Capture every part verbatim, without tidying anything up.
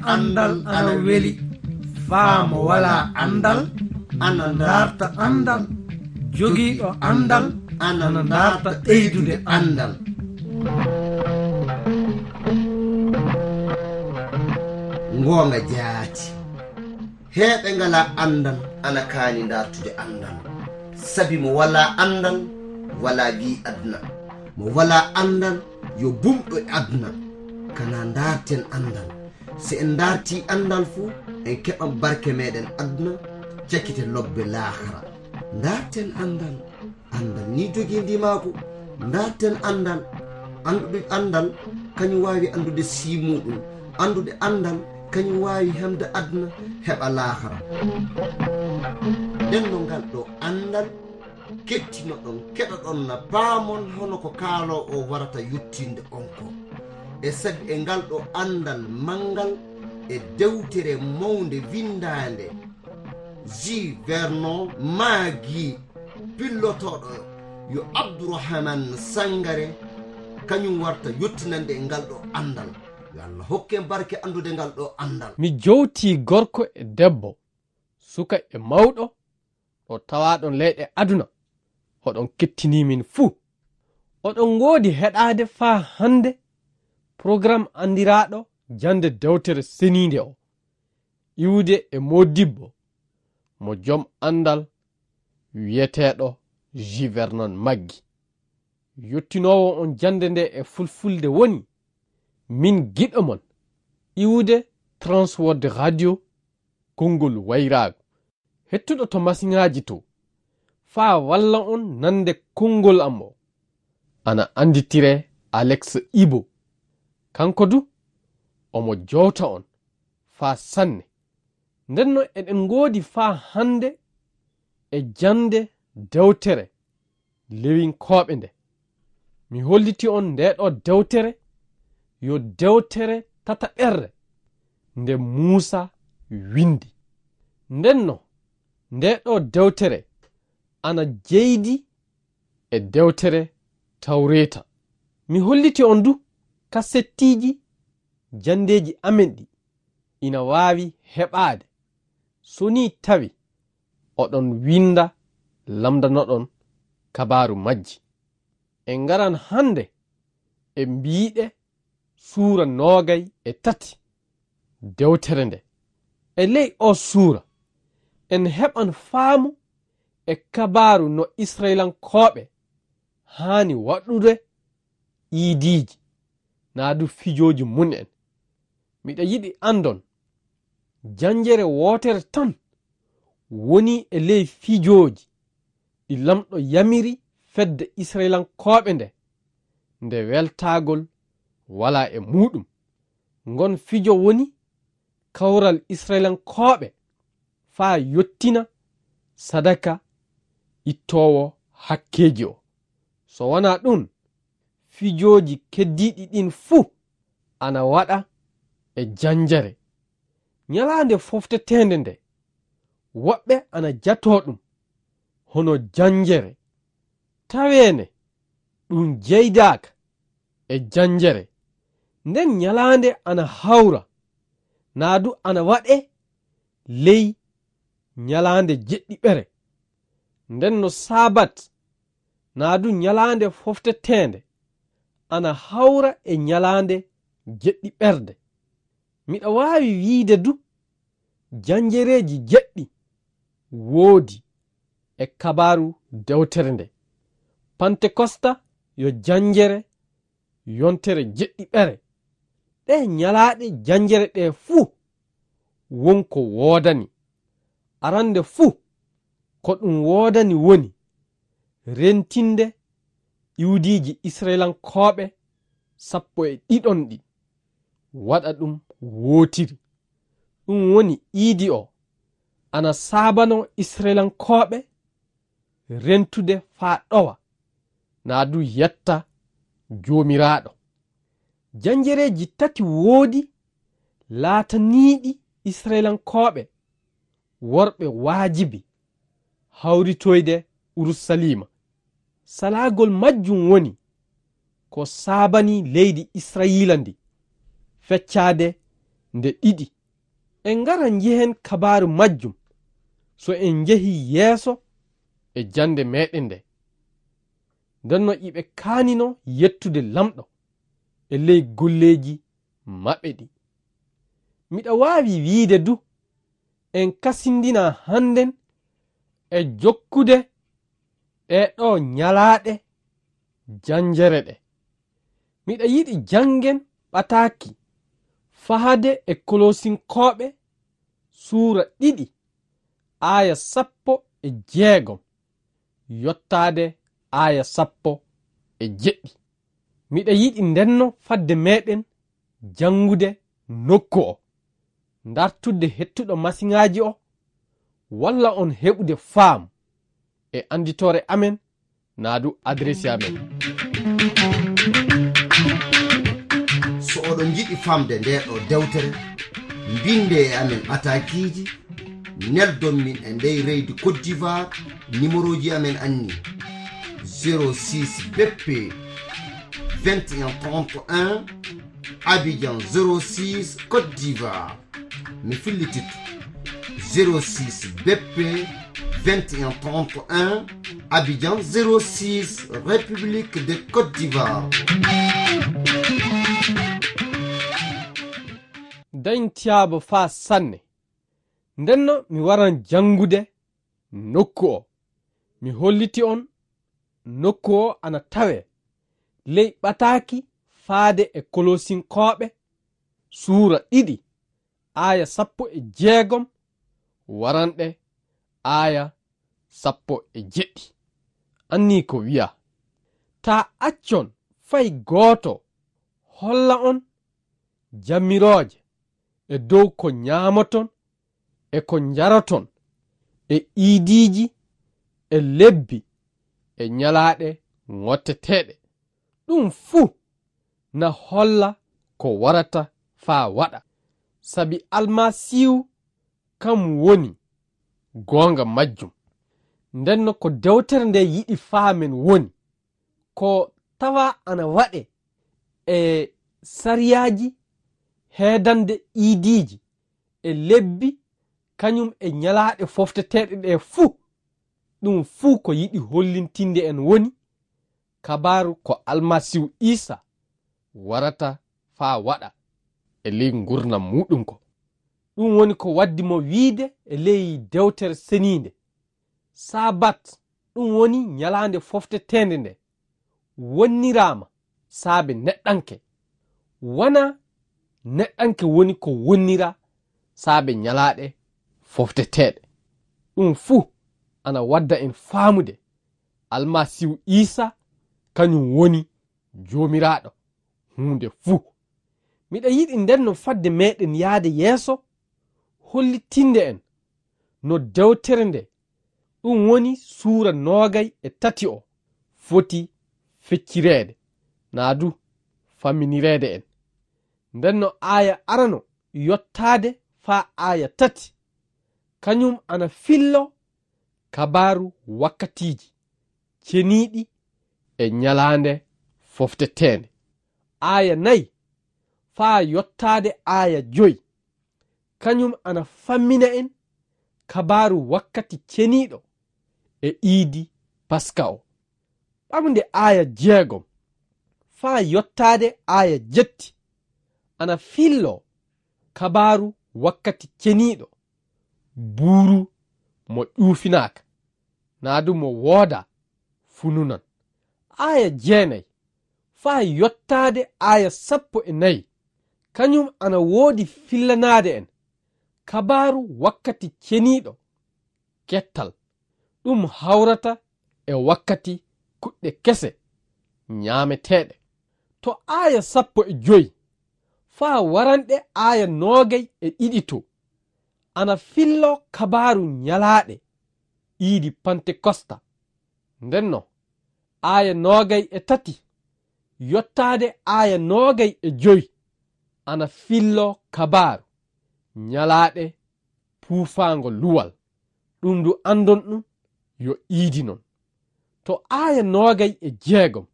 Anndal ana weli. Faa mo walaa anndal ana ndaarta anndal. Jogiiɗo anndal ana ndaarta ɓeydude anndal. Ngoonga jaati. Heeɓe ngalaa anndal ana kaani ndaartude anndal. Sabi mo walaa anndal, walaa gii aduna. Mo walaa anndal, yo bumɗo e aduna. Kana ndaarten anndal. Si en ndaartii anndal fu, en keɓan barke meɗen aduna, cakite lobbe laakara. Ndaarten anndal. Anndal ni jogii ndimaagu. Ndaarten anndal. Anndude anndal, kañum waawi anndude sii muuɗum. Anndude anndal, kañum waawi hemde aduna, heɓa laakara. Nden no ngal ɗo anndal, kettinoɗon, keɗoɗon na paamon hono ko kaaloowo o warata yottinde on ko. E sabi e ngal ɗo anndal manngal e dewtere mawnde winndaande, J. Vernon Maggi, pillotooɗo yo Abdourahmane Sangare, kañum warta yottinande e ngal ɗo anndal. Yo Allah hokke barke anndude ngal ɗo anndal. Mi jowtii gorko e debbo, suka e mawɗo, ɗo tawaaɗon leyɗe aduna, oɗon kettinii min fuu. Oɗon ngoodi heɗaade faa hannde programme anndiraaɗo jannde dewtere seniinde o, iwde e moodibbo mo jom anndal wiyeteeɗo J. Vernon Maggi. Yottinoowo on jannde nde e fulfulde woni, min giɗo mon, iwde Transworld Radio, konngol wayraagu. Hettuɗo to masiŋaaji to, faa walla on nande konngol am o. Ana annditire Alex Ibo. Kanko du, omo jowta on faa sanne. Ndenno eɗen ngoodi faa hannde e jannde dewtere Lewinkooɓe nde. Mi holliti on ndee ɗo dewtere, yo dewtere tataɓerre nde Muusa windi. Ndenno, ndee ɗo dewtere ana jeydi e dewtere Tawreeta. Mi holliti on du kasettiiji janndeeji amen ɗi ina waawi heɓaade. So nii tawi oɗon winnda, lamndanoɗon kabaaru majji. En ngaran hannde e mbiiɗe suura noogay e tati dewtere nde. E ley o suura, en heɓan faamu e kabaaru no Israyilankooɓe haani waɗude iidiiji, naa du fijooji mum en. Miɗa yiɗi anndon, jannjere wootere tan woni e ley fijooji ɗi Laamɗo yamiri fedde Israyilankooɓe nde, nde weltaagol walaa e muuɗum. Ngon fijo woni kawral Israyilankooɓe faa yottina sadaka ittoowo hakkeeji o. So wanaa ɗun, fijooji keddiiɗi ɗin fuu ana waɗa e jannjere. Ñalaande fofteteende nde, woɓɓe ana jatoo ɗum hono jannjere, taweene ɗum jeydaaka e jannjere. Nden ñalaande ana hawra, naa du ana waɗee ley ñalaande jeɗɗiɓere. Nden no Saabat, naa du ñalaande fofteteende, ana hawra e ñalaande jeɗɗiɓerde. Miɗa waawi wiide du, jannjereeji jeɗɗi woodi e kabaaru dewtere nde. Pantekosta yo jannjere yontere jeɗɗiɓere. Ɗee ñalaaɗe jannjere ɗee fuu won ko woodani. Arannde fuu, ko ɗum woodani woni rentinde iwdiiji Israyilankooɓe sappo e ɗiɗon ɗin, waɗa ɗum wootiri. Ɗum woni iidi o ana saabanoo Israyilankooɓe rentude faa ɗowa, naa du yetta Joomiraaɗo. Jannjereeji tati woodi laataniiɗi Israyilankooɓe worɓe waajibi hawritoyde Urusaliima. Salaagol majjum woni ko saabani leydi Israyiila ndi feccaade nde ɗiɗi. En ngara njehen kabaaru majjum so en njehii yeeso e jannde meeɗen nde. Nden no iɓe kaanino yettude Laamɗo e ley golleeji maɓɓe ɗi. Miɗa waawi wiide du, en kasindina hannden e jokkude ɗee ɗoo ñalaaɗe janjere ɗe. Miɗa yiɗi janngen ɓataaki fahade e Kolosinkooɓe suura ɗiɗi, aaya sappo e jeegom, yottaade aaya sappo e jeɗɗi. Miɗa yiɗi ndenno fadde meɗen janngude nokku o, ndartudde hettuɗo masiŋaaji o, walla on heɓude faamu e annditoore amen, naa du adresi amen. So oɗon njiɗi famde nde ɗo dewtere, mbinde e amen ɓatakiiji, neldon min e ndey reydi Côte d'Ivoire, numéroji amen anni: zéro six B P vingt et un trente et un, Abidjan zéro six, Côte d'Ivoire. Mi fillititto: zéro six B P vingt et un trente et un, Abidjan zéro six, République de Côte d'Ivoire. Dañtiyaabo faa sanne. Ndenno mi waran janngude nokku o. Mi holliti on nokku o ana tawee ley ɓataaki faade e Kolosinkooɓe suura ɗiɗi, aaya sappo e jeegom waranɗe aaya sappo e jeɗɗi. Annii ko wi'a: Taa accon fay gooto holla on jamirooje e dow ko ñaamoton e ko njaroton e iidiiji e lebbi e ñalaaɗe ŋotteteeɗe. Ɗum fuu na holla ko warata faa waɗa, sabi Almasiihu kam woni goonga majjum. Ndenno ko dewtere nde yiɗi faamen woni ko tawa ana waɗe e sariyaaji heedande iidiiji e lebbi kañum e ñalaaɗe fofteteeɗe ɗe fuu. Ɗum fuu ko yiɗi hollintinde en woni kabaaru ko Almasiihu Iisa warata faa waɗa e ley ngurnam muuɗum ko. Ɗum woni ko waddi mo wiide e ley dewtere seniinde: Sabat, ɗum woni ñalaande fofteteende nde, wonniraama saabe neɗɗanke. Wanaa neɗɗanke woni ko wonnira saabe ñalaaɗe fofteteeɗe. Ɗum fuu ana wadda en faamude Almasiihu Iisa kañum woni Joomiraaɗo huunde fuu. Miɗa yiɗi ndenno fadde meɗen yaade yeeso hollitinde en no dewtere nde, ɗum woni suura noogay e tati o, foti feccireede, naa du famminireede en. Ndenno aaya arano yottaade faa aaya tati, kañum ana fillo kabaaru wakkatiiji ceniiɗi e ñalaande fofteteende. Aaya nayi faa yottaade aaya joy, kañum ana fammina en kabaaru wakkati ceniiɗo e iidi Paska o. Ɓamde aaya jeegom faa yottaade aaya jetti ana fillo kabaaru wakkati ceniiɗo, buuru mo ƴuufinaaka, naa du mo woodaa fununan. Aaya jeenay faa yottaade aaya sappo e nayi, kañum ana woodi fillanaade en kabaaru wakkati ceniiɗo kettal, ɗum hawrata e wakkati kuɗɗe kese ñaameteeɗe. To aaya sappo e joy faa waranɗe aaya noogay e ɗiɗi to, ana fillo kabaaru ñalaaɗe iidi Pantekosta. Ndenno aaya noogay e tati yottaade aaya noogay e joy ana fillo kabaaru ñalaaɗe puufaango luwal, ɗum ndu anndon ɗum yo iidi non. To aaya noogay e jeegom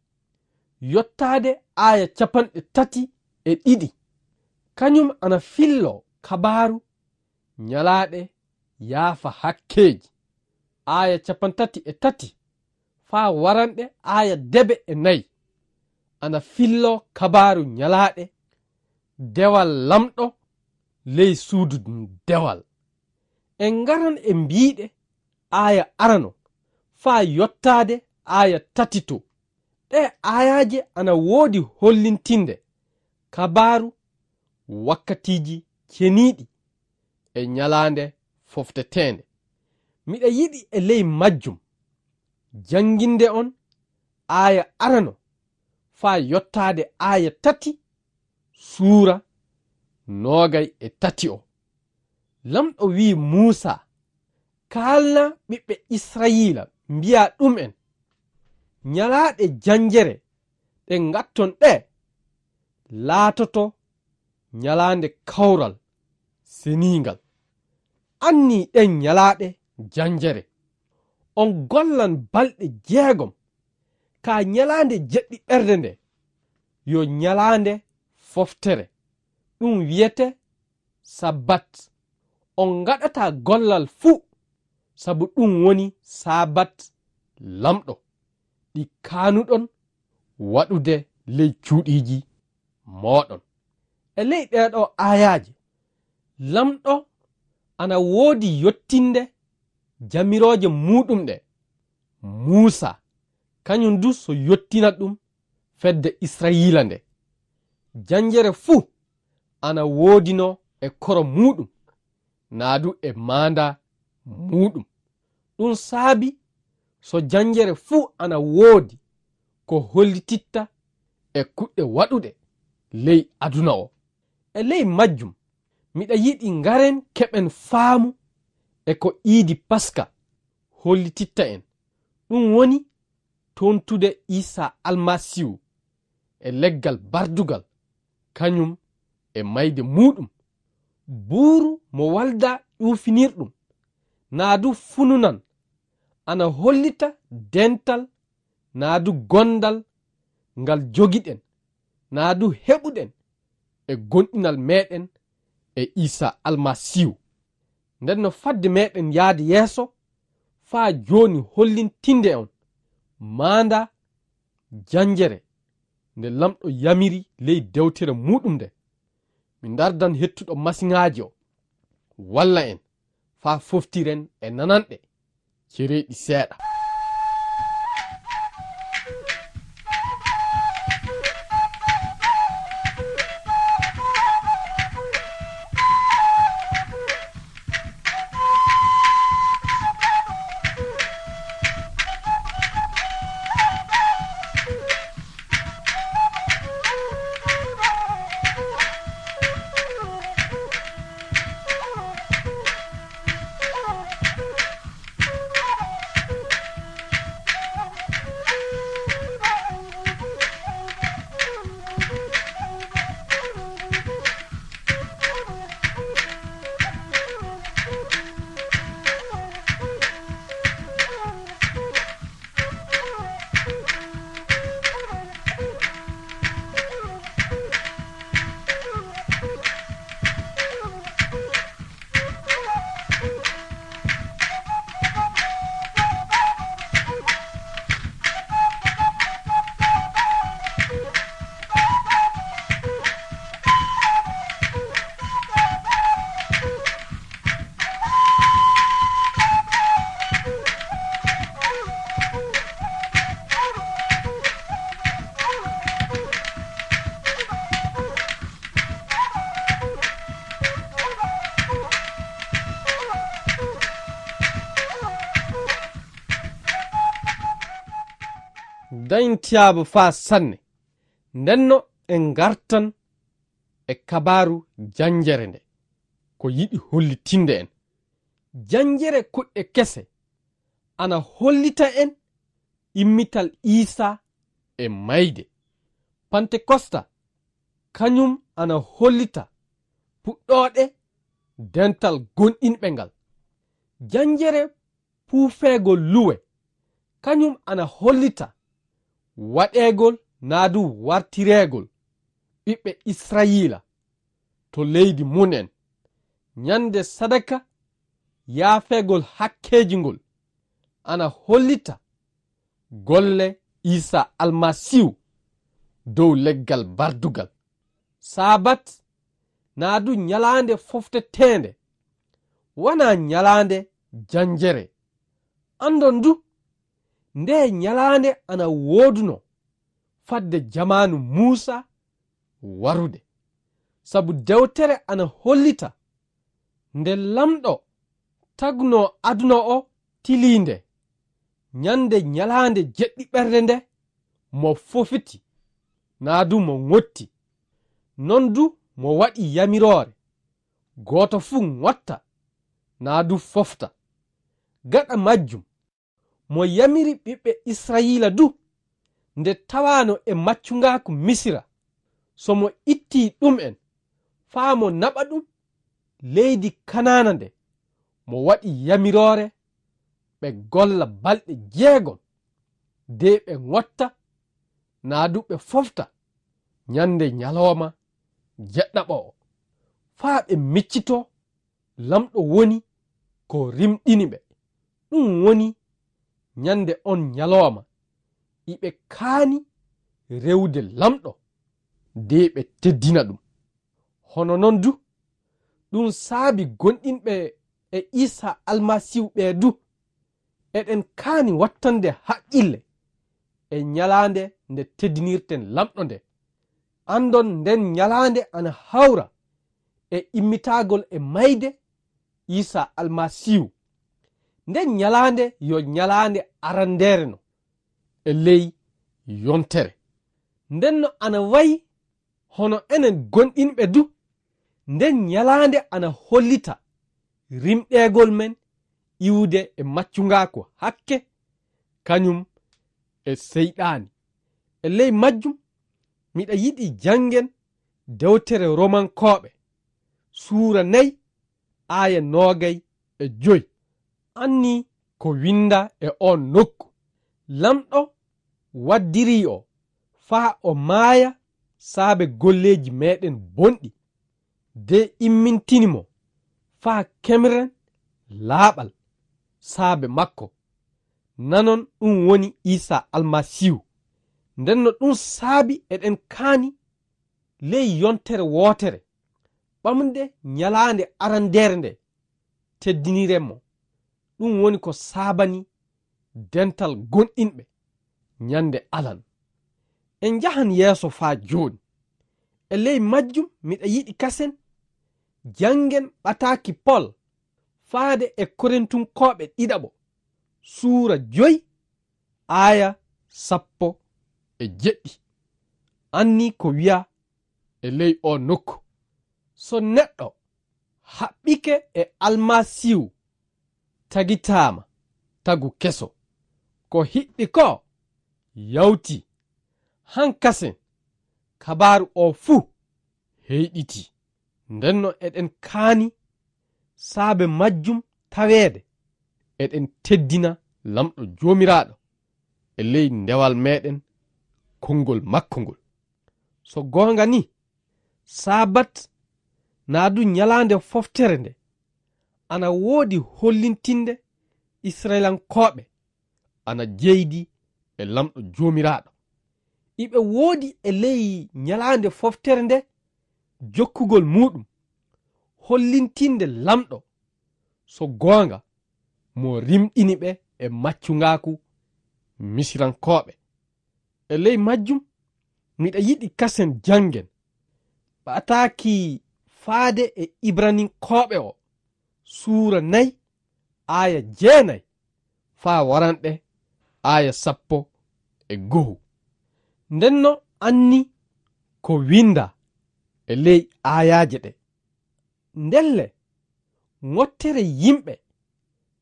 yottaade aaya capanɗe tati e ɗiɗi, Kañum ana fillo kabaaru ñalaaɗe yaafa hakkeeji, aaya cappanɗe tati e tati faa waranɗe aaya debe e nayi, ana fillo kabaaru ñalaaɗe dewal Laamɗo ley suudu dewal. En ngaran e mbiiɗe aaya arano faa yottaade aaya tatito. Ɗee aayaaje ana woodi hollintinde kabaaru wakkatiiji ceniiɗi e ñalaande fofteteende. Miɗa yiɗi e ley majjum jannginde on aaya arano faa yottaade aaya tati suura noogay e tati o. Laamɗo wi'i Muusaa, "Kaalnaa ɓiɓɓe Israayiila, mbi'aa ɗum'en, 'Ñalaaɗe janjere ɗe ngatton ɗe, laatoto ñalaande kawral seniingal. Annii ɗen ñalaaɗe janjere, on gollan balɗe jeegom. Kaa ñalaande jeɗɗiɓerde nde yo ñalaande foftere, ɗum wi'etee Sabbat. On ngaɗataa gollal fuu, sabu ɗum woni Sabbat Laamɗo, ɗi kaanuɗon waɗude ley cuuɗiiji mooɗon.'" E ley ɗee ɗoo aayaaje, Laamɗo ana woodi yottinde jamirooje muuɗum ɗe Muusaa, kañum du so yottina ɗum fedde Israayiila nde. Janjere fuu ana woodinoo e koro muuɗum, naa du e maandaa muuɗum. Ɗum saabi so janjere fuu ana woodi ko hollititta e kuɗɗe waɗuɗe ley aduna o. E ley majjum, miɗa yiɗi ngaren keɓen faamu e ko iidi Paska hollititta en. Ɗum woni toontude Iisaa Almasiihu e leggal bardugal, kañum e mayde muuɗum. Buuru mo waldaa ƴuufinirɗum, naa du fununan, ana hollita dental naa du gondal ngal jogiɗen, naa du heɓuɗen e gomɗinal meeɗen e Iisaa Almasiihu. Nden no fadde meeɗen yaade yeeso faa jooni hollintinde on maandaa janjere nde Laamɗo yamiri ley dewtere muuɗum nde. Mi ndardan hettuɗo masiŋaaji o walla en faa foftiren e nananɗe cereeɗi seeɗa. Dañtiyaaba faa sanne. Ndenno en ngartan e kabaaru janjere nde, ko yiɗi hollitinde en. Janjere kuɗɗe kese ana hollita en immital Iisaa e mayde. Pantekosta, kañum ana hollita puɗɗooɗe dental gomɗinɓe ngal. Janjere puufeegol luwe, kañum ana hollita waɗeegol naa du wartireegol ɓiɓɓe Israayiila. to leydi mum en. Ñande sadaka yaafeegol hakkeeji ngol ana hollita golle Iisaa Almasiihu dow leggal bardugal. Saabat naa du ñalaande fofteteende, wanaa ñalaande janjere. Anndon du, ndee ñalaande ana woodunoo fadde jamaanu Muusaa warude. Sabu dewtere ana hollita nde Laamɗo tagnoo aduna o tiliinde, ñande ñalaande jeɗɗiɓerde nde mo fofiti, naa du mo ŋotti. Non du mo waɗi yamiroore, gooto fuu ŋotta, naa du fofta. Gaɗa majjum, mo yamiri ɓiɓɓe Israa'iila du, nde tawaano e maccuŋaaku Misira, so mo ittii ɗum'en faa mo naɓa ɗum leydi Kanaana nde, mo waɗi yamiroore ɓe golla balɗe jeegom, de ɓe ŋotta, naa du ɓe fofta ñande ñalooma jeɗɗaɓo o, faa ɓe miccitoo Laamɗo woni ko rimɗini ɓe. Ɗum woni ñande on ñalooma iɓe kaani rewude Laamɗo, de ɓe teddina ɗum. Hono non du, ɗum saabi gonɗinɓe e Iisaa Almasiihu ɓee du, eɗen kaani wattande haqqille e ñalaande nde teddinirten Laamɗo nde. Anndon nden ñalaande ana hawra e immitagol e mayde Iisaa Almasiihu. Nden ñalaande yo ñalaande arandeere no e ley yontere. Nden no ana wayi hono enen gonɗinɓe du, nden ñalaande ana hollita rimɗeegol men iwude e maccuŋaaku hakke, kañum e Seyɗaani. E ley majjum, miɗa yiɗi janngen dewtere Romankooɓe, suura nay, aaya noogay e joy. Anni ko winnda e oon nokku, Laamɗo waddirii o faa o maaya saabe golleeji meeɗen bonɗi, de immintini mo faa kemren laaɓal saabe makko. Nanon ɗum woni Iisaa Almasiihu. Nden no ɗum saabi eɗen kaani ley yontere wootere, ɓamde ñalaande arandeere nde, teddiniren mo. Ɗum woni ko saabani dental gonɗinɓe ñande alan. En njahan yeeso faa jooni. E ley majjum miɗa yiɗi kasen janngen ɓataaki Pol faade e Korintunkooɓe ɗiɗaɓo, suura joy, aaya sappo e jeɗɗi. Anni ko wi'a e ley oo nokku, so neɗɗo haɓɓike e Almasiihu, tagitaama tagu keso. Ko hiɓɓi ko yawti, hankasen kabaaru oo fuu heyɗiti. Ndenno eɗen kaani saabe majjum taweede eɗen teddina Laamɗo Joomiraaɗo e ley dewal meeɗen konngol makko ngol. So goonga ni, Saabat naa du ñalaande foftere nde ana woodi hollintinde Isra'ilankooɓe ana jeydi e Laamɗo Joomiraaɗo. Iɓe woodi e ley ñalaande foftere nde jokkugol muuɗum, hollintinde Laamɗo, so goonga, mo rimɗini ɓe e maccungaaku Misirankooɓe. E ley majjum, miɗa yiɗi kasen janngen ɓataaki faade e Ibraninkooɓe o, suura nay, aaya jeenay, faa waranɗe aaya sappo e go'o. Ndenno anni ko winnda e ley aayaaje ɗe. Ndelle, ŋottere yimɓe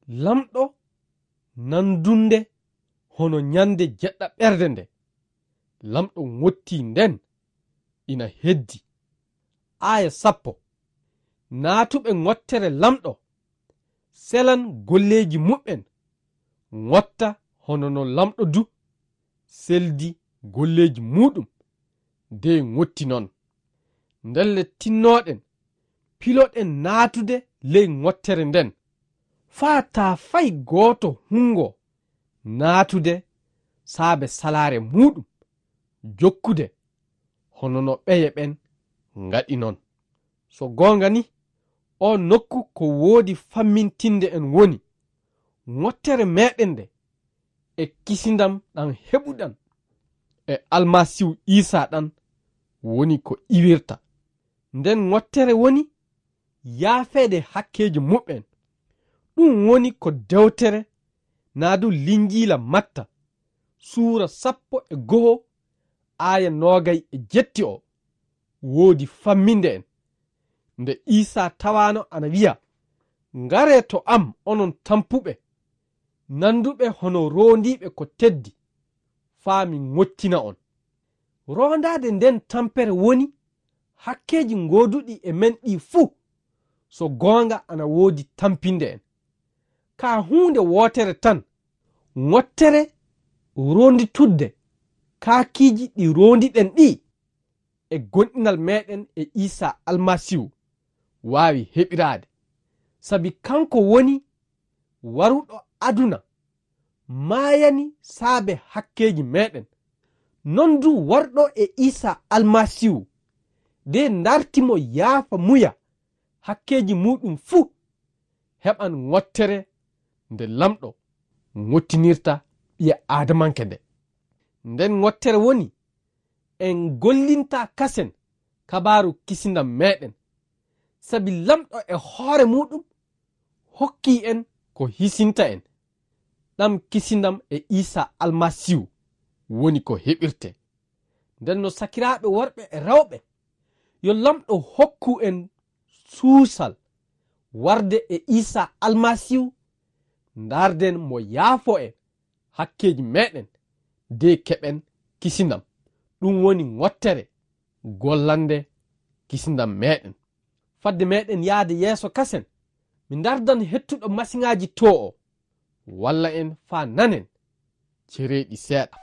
Laamɗo nandunde hono ñande jeɗɗaɓerde nde Laamɗo ŋotti nden ina heddi. Aaya sappo. Naatuɓe ŋottere Laamɗo selan golleeji muɓɓen, ŋotta hono no Laamɗo du seldi golleeji muuɗum de ŋotti non. Ndelle, tinnooɗen piloɗen naatude ley ŋottere nden, faa taa fay gooto hunngoo naatude saabe salaare muuɗum, jokkude hono no ɓeye ɓen ngaɗi non. So goonga ni, oo nokku ko woodi fammintinde en woni ŋottere meeɗen nde e kisindam ɗam heɓuɗan e Almasiihu Iisaa ɗan woni ko iwirta. Nden ŋottere woni yaafeede hakkeeji muɓɓen. Ɗum woni ko dewtere naa du Linjiila Matta, suura sappo e go'o, aaya noogay e jetti o woodi famminde en. Nde Iisaa tawaano ana wi'a, "Ngaree to am, onon tampuɓe, nanduɓe hono roondiiɓe ko teddi, faa mi ŋottina on." Roondaade nden tampere woni hakkeeji gooduɗi e men ɗi fuu, so goonga ana woodi tampinde en. Ka huunde wootere tan, ŋottere roonditudde kaakiiji ɗi roondiɗen ɗi e gonɗinal meeɗen e Iisaa Almasiihu waawi heɓiraade. Sabi kanko woni waruɗo aduna, maayani saabe hakkeeji meeɗen. Non du warɗo e Iisaa Almasiihu, de ndarti mo yaafa muya hakkeeji muuɗum fuu, heɓan ŋottere nde Lamɗo ŋottinirta ɓiya Aadamanke nde. Nden ŋottere woni en gollinta kasen kabaaru kisindam meeɗen, sabi Lamɗo e hoore muuɗum hokkii en ko hisinta en. Ɗam kisindam e Iisaa Almasiihu woni ko heɓirte. Nden no sakiraaɓe worɓe e rewɓe, yo Lamɗo hokku en suusal warde e Iisaa Almasiihu, ndarden mo yaafo en hakkeeji meeɗen, de keɓen kisindam. Ɗum woni ŋottere gollande kisindam meeɗen. Fadde meeɗen yaade yeeso kasen, mi ndardan hettuɗo masiŋaaji to o, walla en faa nanen cereeɗi seeɗa.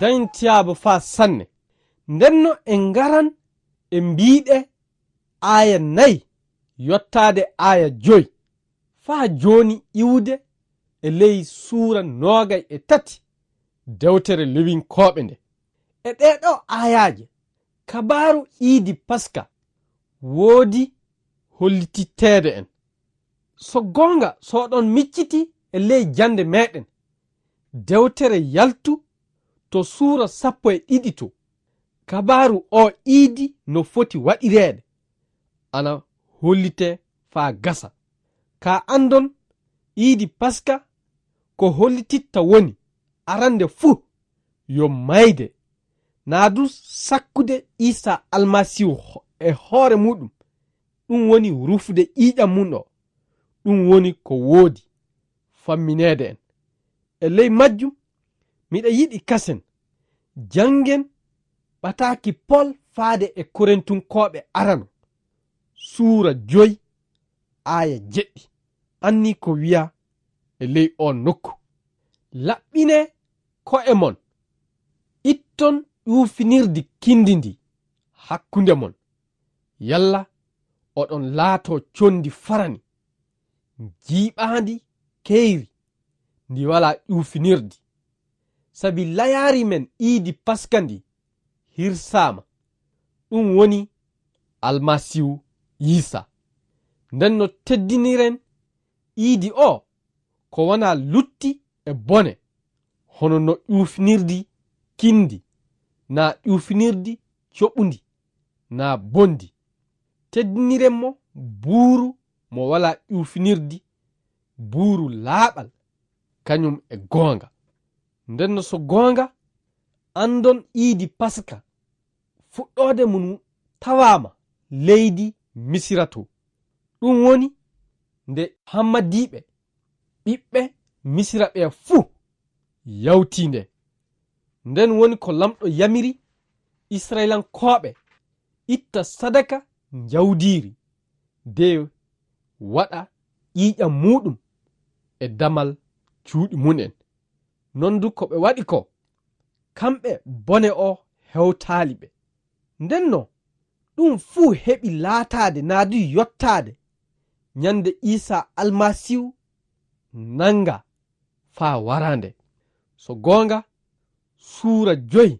Dañtiyaaba faa sanne. Ndenno en ngaran e mbiiɗe aaya nay yottaade aaya joy, faa jooni iwude e ley suura noogay e tati dewtere Lewinkooɓe nde. E ɗee ɗoo aayaaje, kabaaru iidi Paska woodi hollititteede en. So goonga, so oɗon micciti e ley jannde meeɗen, dewtere Yaltu to suura sappo e ɗiɗi to, kabaaru oo iidi no foti waɗireede, ana hollitee faa gasa. Kaa anndon, iidi Paska ko hollititta woni, arannde fuu, yo mayde, naa du sakkude Iisaa Almasiihu ho-, e hoore muuɗum, ɗum woni rufude ƴiiƴam mum o, ɗum woni ko woodi, fammineede en. E ley majjum, miɗa yiɗi kasen janngen ɓataaki Pol faade e Korintunkooɓe arano, suura joy, aaya jeɗɗi. Anni ko wiya e ley o nokku: Laɓɓinee ko'e mon, itton ƴuufinirdi kindi ndi hakkunde mon, yalla oɗon laatoo conndi farani, jiiɓaandi keyri, ndi walaa ƴuufinirdi. Sabi layaari men iidi Paska ndi hirsaama, ɗum woni Almasiihu Iisaa. Nden no teddiniren iidi o ko wonaa lutti e bone, hono no ƴuufinirdi kindi, naa ƴuufinirdi coɓundi, naa bondi. Teddiniren mo buuru mo walaa ƴuufinirdi, buuru laaɓal, kañum e goonga. Nden no so goonga, andon iidi Paska, fuɗɗoode mum tawaama leydi Misira to. Ɗum woni nde hammadiiɓe, ɓiɓɓe Misira ɓe fuu yawti nde. Nden woni ko Laamɗo yamiri Isra'ilankooɓe itta sadaka njawdiri, de waɗa ƴiiƴam muuɗum e damal cuuɗi mum en. Non du ko ɓe waɗi ko, kamɓe bone o hewtaali ɓe. Nden no ɗum fuu heɓi laataade naa du yottaade ñande Iisaa Almasiihu nanga faa waraande. So goonga, suura joy,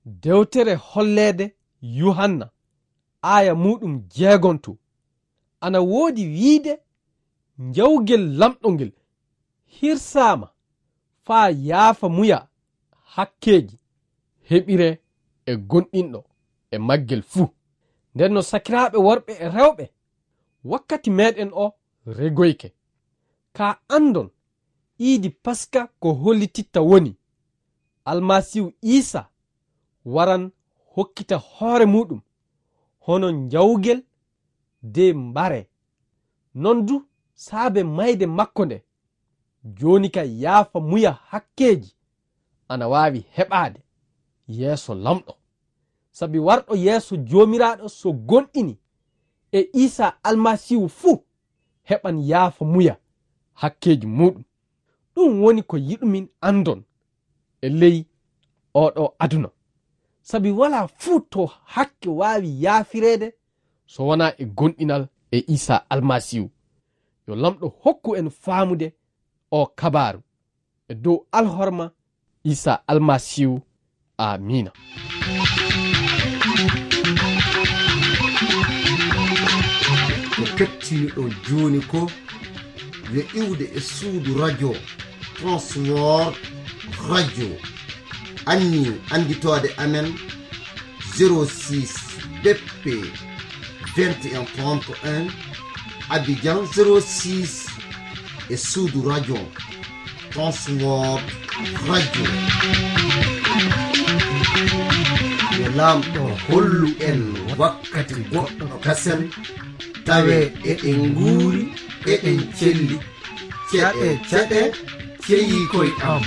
dewtere holleede Yuhanna, aaya muuɗum jeegonto, ana woodi wiide njawgel Laamɗo ngel hirsaama faa yaafa muya hakkeeji heɓire e gonɗinɗo e maggel fuu. Nden no sakiraaɓe worɓe e rewɓe, wakkati meɗen o regoyke. Kaa andon, iidi Paska ko hollititta woni Almasiihu Iisaa waran hokkita hoore muuɗum hono njawgel de mbare. Non du saabe mayde makko nde, jooni ka yaafa muya hakkeeji ana waawi heɓaade yeeso Laamɗo. Sabi warɗo yeeso Joomiraaɗo so gonɗini e Iisaa Almasiihu fuu, heɓan yaafa muya hakkeeji muuɗum. Ɗum woni ko yiɗumin andon e ley oɗo aduna. Sabi walaa fuu to hakke waawi yaafireede so wonaa e gonɗinal e Iisaa Almasiihu. Yo Laamɗo hokku en faamude o kabaaru. E dow alhorma Iisaa Almasiihu. Aamiina. Ko kettiniɗon jooni ko yo iwde e suudu radio Transworld Radio. Anni annditoode amen zéro six B P vingt et un trente et un, Abidjan zéro six, e suudu radio Transworld Radio. Yo Laamɗo hollu en wakkati goɗɗo kasen, tawe eɗen nguuri, eɗen celli. Ceɗe, ceɗe, ceyi koy am.